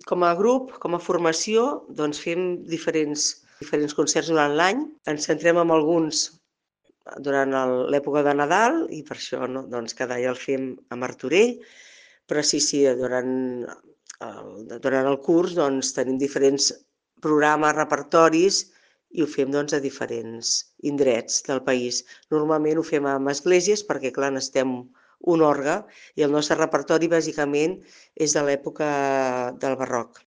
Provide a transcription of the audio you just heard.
Com a grup, com a formació, doncs fem diferents concerts durant l'any. Ens centrem en alguns durant l'època de Nadal i per això doncs cada any el fem a Martorell, però sí, durant el curs doncs, tenim diferents programes, repertoris i ho fem doncs, a diferents indrets del país. Normalment ho fem en esglésies perquè, clar, necessitem un orgue i el nostre repertori bàsicament és de l'època del barroc.